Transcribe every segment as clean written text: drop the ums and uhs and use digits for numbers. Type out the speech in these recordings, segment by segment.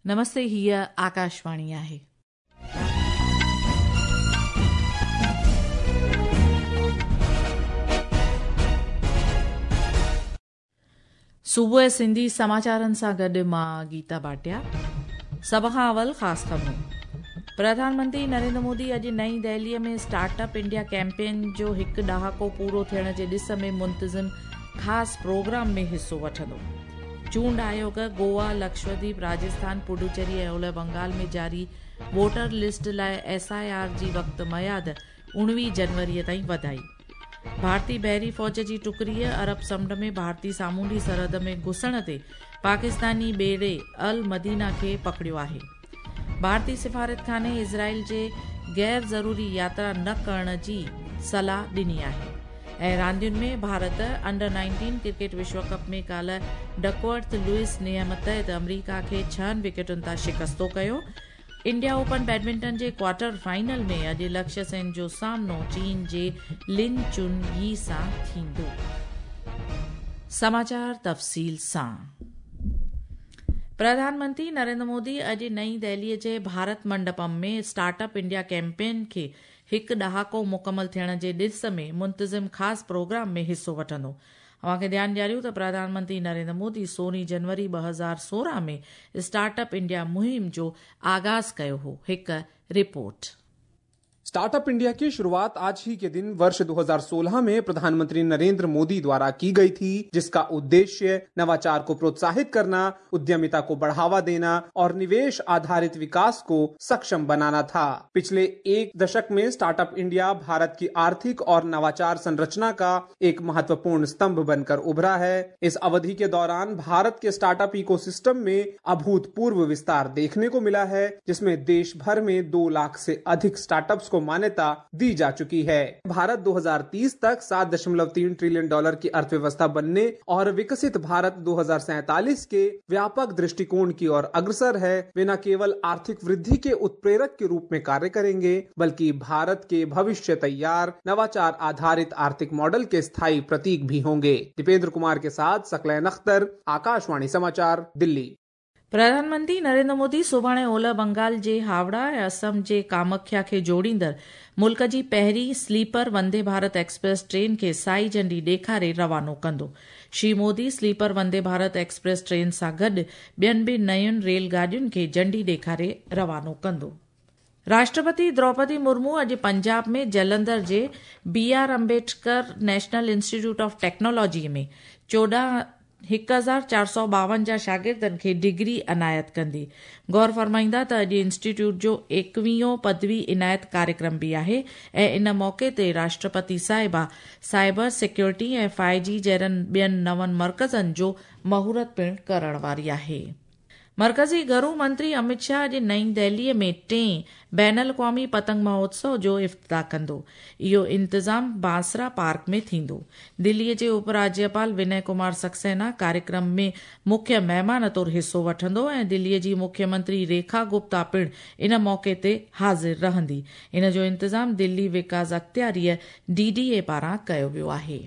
نمستي هيء آڪاشواڻي آهي. صبح سنڌي سماچارن سان گڏ مان گيتا ڀاٽيا. سڀ کان اول خاص خبرون. پرڌان منتري نريندر مودي اڄ نئين دهليء ۾ اسٽارٽ اپ انڊيا ڪيمپين جو هڪ ڏهاڪو پورو ٿيڻ جي ڏس ۾ منتظم خاص پروگرام ۾ حصو وٺندو. چونڊ آيوگ گوا، لڪشديپ، راجسٿان، پڊوچيري ۽ اولهه بنگال ۾ جاري ووٽر لسٽ لاء ايس I R جي وقت ميعاد 19 جنوري تائين وڌائي. ڀارتي بحري فوج جي ٽڪڙيء عرب سمنڊ ۾ ڀارتي سامونڊي سرحد ۾ گهسڻ تي پاڪستاني ٻيڙي المدينه کي پڪڙيو آهي. ڀارتي سفارتخاني اسرائيل جي غير ضروري ياترا نه ڪرڻ جي صلاح ڏني آهي. ۽ راندين ۾ ڀارت انڊر 19 ڪرڪيٽ وشو ڪپ ۾ ڪالهه ڊڪورٿ لوئس نيم تحت آمريڪا کي ڇهن وڪيٽن تان شڪستو ڪيو. انڊيا اوپن بيڊمنٽن جي ڪوارٽر فائنل ۾ اڄ لڪشيه سين جو سامنو چين جي لن چن يي سان ٿيندو. سماچار تفصيل سان پرڌان منتري نريندر مودي اڄ نئين دهليء جي Bharat Mandapam ۾ start up India campaign کي هڪ ڏهاڪو مڪمل ٿيڻ جي ڏس ۾ منتظم خاص پروگرام ۾ حصو وٺندو. اوهان کي ڌيان ڏياريون ته پرڌان منتري نريندر مودي 16 جنوري 2016 ۾ اسٽارٽ اپ انڊيا مهم جو آغاز ڪيو هو. هڪ رپورٽ. स्टार्टअप इंडिया की शुरुआत आज ही के दिन वर्ष 2016 में प्रधानमंत्री नरेंद्र मोदी द्वारा की गई थी, जिसका उद्देश्य नवाचार को प्रोत्साहित करना, उद्यमिता को बढ़ावा देना और निवेश आधारित विकास को सक्षम बनाना था। पिछले एक दशक में स्टार्टअप इंडिया भारत की आर्थिक और नवाचार संरचना का एक महत्वपूर्ण स्तंभ बनकर उभरा है। इस अवधि के दौरान भारत के स्टार्टअप इकोसिस्टम में अभूतपूर्व विस्तार देखने को मिला है, जिसमें देश भर में 2 लाख से अधिक स्टार्टअप्स को मान्यता दी जा चुकी है। भारत 2030 तक 7.3 ट्रिलियन डॉलर की अर्थव्यवस्था बनने और विकसित भारत 2047 के व्यापक दृष्टिकोण की ओर अग्रसर है। वे न केवल आर्थिक वृद्धि के उत्प्रेरक के रूप में कार्य करेंगे, बल्कि भारत के भविष्य तैयार नवाचार आधारित आर्थिक मॉडल के स्थायी प्रतीक भी होंगे। दीपेंद्र कुमार के साथ सकलैन अख्तर, आकाशवाणी समाचार, दिल्ली। प्रधान मंत्री नरेंद्र मोदी सुभाणे ओलह बंगाल जे हावड़ा ऐं असम जे कामाख्या खे जोड़ींदड़ मुल्क जी पहिरीं sleeper Vande Bharat express train खे साई झंडी ॾेखारे रवानो कंदो। Shri Modi sleeper Vande Bharat express train सां गॾु ॿियनि बि नयुनि रेल गाॾियुनि खे झंडी ॾेखारे रवानो कंदो। राष्ट्रपति द्रौपदी मुर्मू अॼु पंजाब में जलंधर जे B R Ambedkar national institute of technology में 14,452 शागिर्दनि खे डिग्री अनायत कंदी। गौर फरमाईंदा त अॼु इंस्टीट्यूट जो 21 पदवी इनायत कार्यक्रम बि आहे ऐं इन मौक़े ते राष्ट्रपति साहिबा साइबर सिक्योरिटी ऐं 5G जहिड़नि ॿियनि नवनि मर्कज़नि जो मुहूर्त पिणु करण वारी आहे। मर्कज़ी घरू मंत्री अमित शाह अॼु नई दिल्लीअ में टें बैन अल-अक़वामी पतंग महोत्सव जो इफ्तिताह कंदो। इहो इंतज़ाम बांसरा पार्क में थींदो। दिल्लीअ जे उपराज्यपाल विनय कुमार सक्सेना कार्यक्रम में मुख्य महिमान तौर हिसो वठंदो ऐं दिल्लीअ जी मुख्यमंत्री रेखा गुप्ता पिणु इन मौक़े ते हाज़िर रहंदी। इन जो इंतज़ाम दिल्ली विकास अख़्तियारीअ DDA पारां कयो वियो आहे।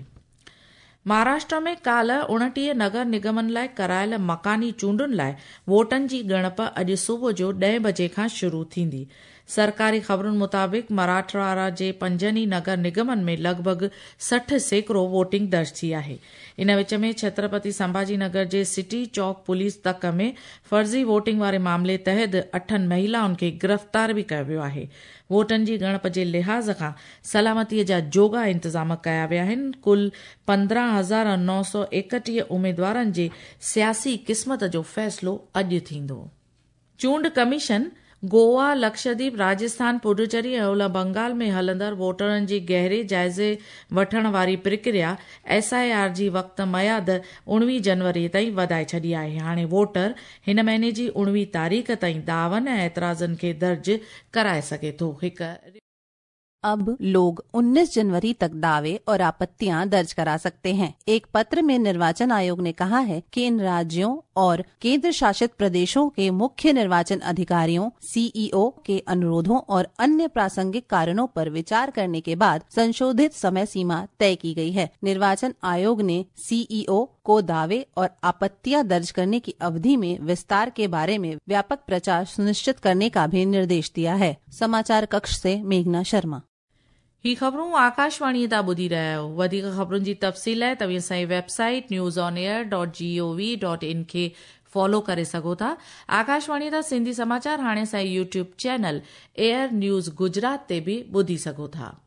महाराष्ट्र में काल्ह 29 नगर निगमनि लाइ करायल मकानी चूंडुनि लाइ वोटनि जी ॻणप अॼु सुबुह जो 10 बजे खां शुरू थींदी। सरकारी ख़बरुनि मुताबिक़ मराठवाड़ा जे 5 ई नगर निगमनि में लॻभॻि 60% वोटिंग दर्ज थी आहे। इन विच में छत्रपति संभाजी नगर जे सिटी चौक पुलिस तक में फ़र्ज़ी वोटिंग वारे मामले तहत 8 महिलाउनि खे गिरफ़्तार बि कयो वियो आहे। वोटनि जी ॻणप जे लिहाज़ खां सलामतीअ जा जोगा इंतज़ाम कया विया आहिनि। कुल 15,931 उमेदवारनि जे सियासी क़िस्मत जो फ़ैसिलो अॼु थींदो। चूंड कमीशन गोवा, लक्षद्वीप, राजस्थान, पुडुचेरी ऐं ओलह बंगाल में हलंदड़ वोटरनि जी गहरे जाइज़े वठण वारी प्रक्रिया SIR जी वक़्त मयाद 19 जनवरी ताईं वधाए छॾी आहे। हाणे वोटर हिन महीने जी 19 तारीख़ ताईं दावन ऐं एतिराज़नि खे दर्ज कराए सघे थो। हिकु अब लोग 19 जनवरी तक दावे और आपत्तियां दर्ज करा सकते हैं। एक पत्र में निर्वाचन आयोग ने कहा है कि इन राज्यों और केंद्र शासित प्रदेशों के मुख्य निर्वाचन अधिकारियों सीईओ के अनुरोधों और अन्य प्रासंगिक कारणों पर विचार करने के बाद संशोधित समय सीमा तय की गई है। निर्वाचन आयोग ने सीईओ को दावे और आपत्तियां दर्ज करने की अवधि में विस्तार के बारे में व्यापक प्रचार सुनिश्चित करने का भी निर्देश दिया है। समाचार कक्ष से मेघना शर्मा। ही ख़बरूं आकाशवाणी तां ॿुधी रहिया आहियो। वधीक ख़बरुनि जी तफ़सील लाइ तव्हीं असांजी website newsonair.gov.in खे फॉलो करे सघो था। आकाशवाणी तां सिंधी समाचार हाणे असांजे YouTube channel AIR news Gujarat ते बि ॿुधी सघो था।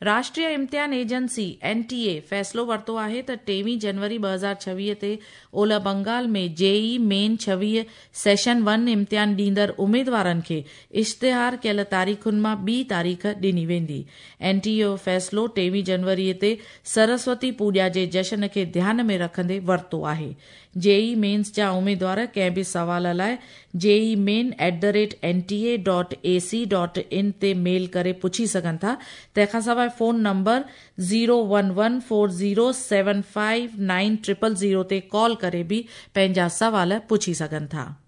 राष्ट्रीय इम्तिहान एजेंसी एनटीए फ़ैसिलो वरितो आहे त 23 जनवरी 2026 ते ओलह बंगाल में जेई मेन 26 सेशन 1 इम्तिहान ॾींदड़ उमेदवारनि खे इश्तिहार कयल तारीख़ुनि मां ॿी तारीख़ ॾिनी वेंदी। एनटीए जो फ़ैसिलो 23 जनवरी ते सरस्वती पूॼा जे जशन खे ध्यान में रखंदे वरितो आहे। जेई मेन्स जा उमेदवार कंहिं बि सवाल लाइ jeemain@nta.ac.in ते मेल करे पुछी सघनि था। तंहिंखां सवाइ फोन नंबर 01140759000 ते कॉल करे बि पंहिंजा सवाल पुछी सघनि था।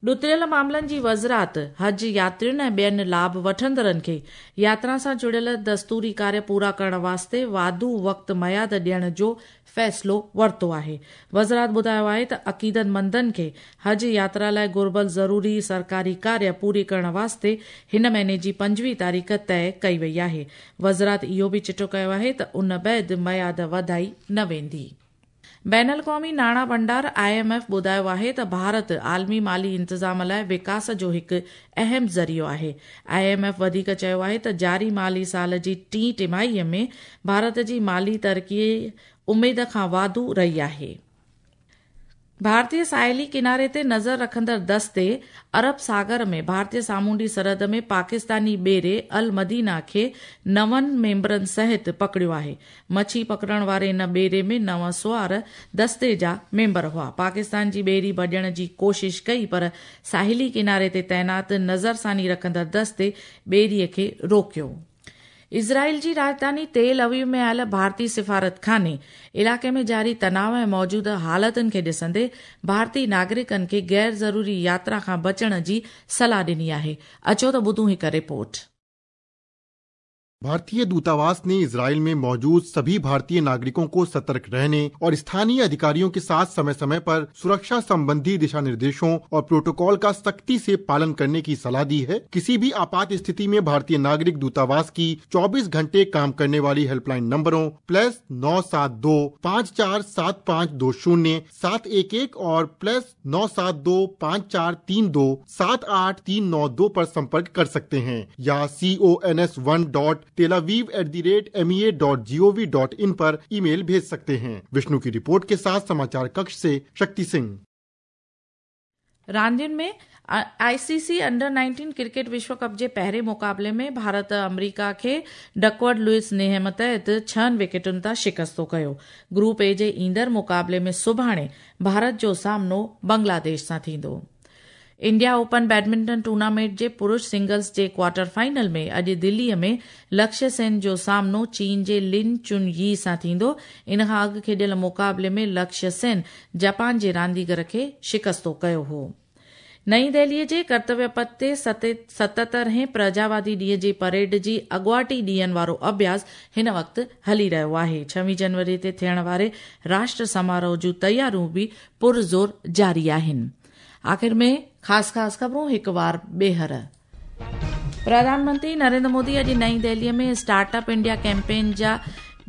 ॾुतरियल मामलनि जी वज़ारत हज यात्रियुनि ऐं ॿियनि लाभ वठंदड़नि खे यात्रा सां जुड़ियल दस्तूरी कार्य पूरा करण वास्ते वाधू वक़्तु मयाद ॾियण जो फ़ैसिलो वरितो आहे। वज़ारत ॿुधायो आहे त अक़ीदतमंदनि खे हज यात्रा लाइ घुर्बल ज़रूरी सरकारी कार्य पूरी करण वास्ते हिन महीने जी 25 तारीख़ तय कई वई आहे। वज़ारत इहो बि चिटो कयो आहे त उन बाद मयाद वधाई न वेंदी। बैन अल-क़ौमी नाणा भंडार आईएमएफ ॿुधायो आहे त भारत आलमी माली इंतज़ाम लाइ विकास जो हिकु अहम ज़रियो आहे। आईएमएफ वधीक चयो आहे त जारी माली साल जी टीं टिमाहीअ में भारत जी माली तरक़ी उमेद खां वाधू रही आहे। भारतीय साहिली किनारे ते नज़र रखंदड़ दस्ते अरब सागर में भारतीय सामुंडी सरहद में पाकिस्तानी ॿेड़े अल मदीना खे 9 मेंबरनि सहित पकड़ियो आहे। मच्छी पकड़ण वारे इन ॿेड़े में 9 सवार दस्ते जा मेंबर हुआ। पाकिस्तान जी ॿेड़ी भॼण जी कोशिश कई पर साहिली किनारे ते तैनात नज़रसानी रखंदड़ दस्ते ॿेड़ीअ खे रोकियो। इज़राइल जी राजधानी तेल अवीव में आयल भारतीय सिफारतखाने इलाइक़े में जारी तनाव ऐं मौजूदा हालतुनि खे ॾिसंदे भारतीय नागरिकनि खे गैर ज़रूरी यात्रा खां बचण जी सलाह ॾिनी आहे। अचो त ॿुधूं हिकु रिपोर्ट। भारतीय दूतावास ने इजराइल में मौजूद सभी भारतीय नागरिकों को सतर्क रहने और स्थानीय अधिकारियों के साथ समय समय पर सुरक्षा संबंधी दिशा निर्देशों और प्रोटोकॉल का सख्ती से पालन करने की सलाह दी है। किसी भी आपात स्थिति में भारतीय नागरिक दूतावास की 24 घंटे काम करने वाली हेल्पलाइन नंबरों +972 54 7520 711 और +972 5432 78392 पर संपर्क कर सकते हैं या cons1.telaviv@mea.gov.in पर ईमेल भेज सकते हैं। विष्णु की रिपोर्ट के साथ समाचार कक्ष से शक्ति सिंह। रांदियुनि में आईसीसी अंडर 19 क्रिकेट विश्व कप जे पहिरें मुक़ाबले में भारत अमरीका खे डकवर्थ लुइस नियम तहत 6 विकेटुनि तां शिकस्तो कयो। ग्रुप ए जे ईंदड़ मुक़ाबले में सुभाणे भारत जो सामनो बांग्लादेश सां थींदो। इंडिया ओपन बैडमिंटन टूर्नामेंट जे पुरुष सिंगल्स जे क्वार्टर फाइनल में अॼु दिल्लीअ में लक्ष्य सेन जो सामनो चीन जे लिन चुन यी सां थींदो। इन खां अॻु खेॾियल मुक़ाबले में लक्ष्य सेन जापान जे रांदीगर खे शिकस्तो कयो हो। नई दिल्लीअ जे कर्तव्य पथ ते 77हें प्रजावादी ॾींहं जी परेड जी अॻुवाटी ॾींहनि वारो अभ्यास हिन वक़्तु हली रहियो आहे। 26 जनवरी ते थियण वारे राष्ट्र समारोह जूं तयारियूं बि पुरज़ोर जारी आहिनि। आख़िर में ख़ासि ख़ासि ख़बरूं हिकु वार ॿीहर। प्रधानमंत्री नरेंद्र मोदी अॼु नई दिल्लीअ में स्टार्टअप इंडिया कैंपेन जा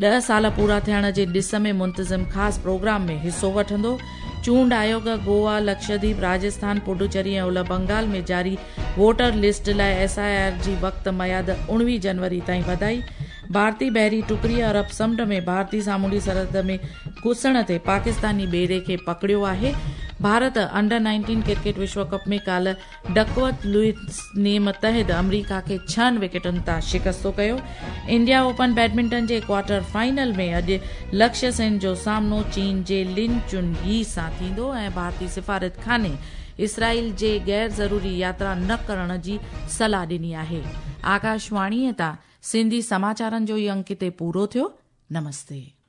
10 साल पूरा थियण जे ॾिस में मुंतज़िम ख़ासि प्रोग्राम में हिसो वठंदो। चूंड आयोग गोवा, लक्षद्वीप, राजस्थान, पुडुचेरी ऐं उलह बंगाल में जारी वोटर लिस्ट लाइ एसआईआर जी वक़्त मयाद 19 जनवरी ताईं वधाई। भारतीय बहरी टुकड़ी अरब समुंड में भारतीय सामुंडी सरहद में घुसण ते पाकिस्तानी ॿेड़े खे पकड़ियो आहे। भारत अंडर 19 क्रिकेट विश्व कप में काल्ह डकवर्थ लुइस नियम तहत अमरीका खे 6 विकेटुनि तां शिकस्तो कयो। इंडिया ओपन बैडमिंटन जे क्वार्टर फाइनल में अॼु लक्ष्य सेन जो सामनो चीन जे लिन चुन यी सां थींदो ऐं भारतीय सिफारतखाने اسرائيل جي غير ضروري ياترا نه ڪرڻ جي صلاح ڏني آهي. آڪاشواڻيء تان سنڌي سماچارن جو هي انڪ هتي پورو ٿيو. نمستي.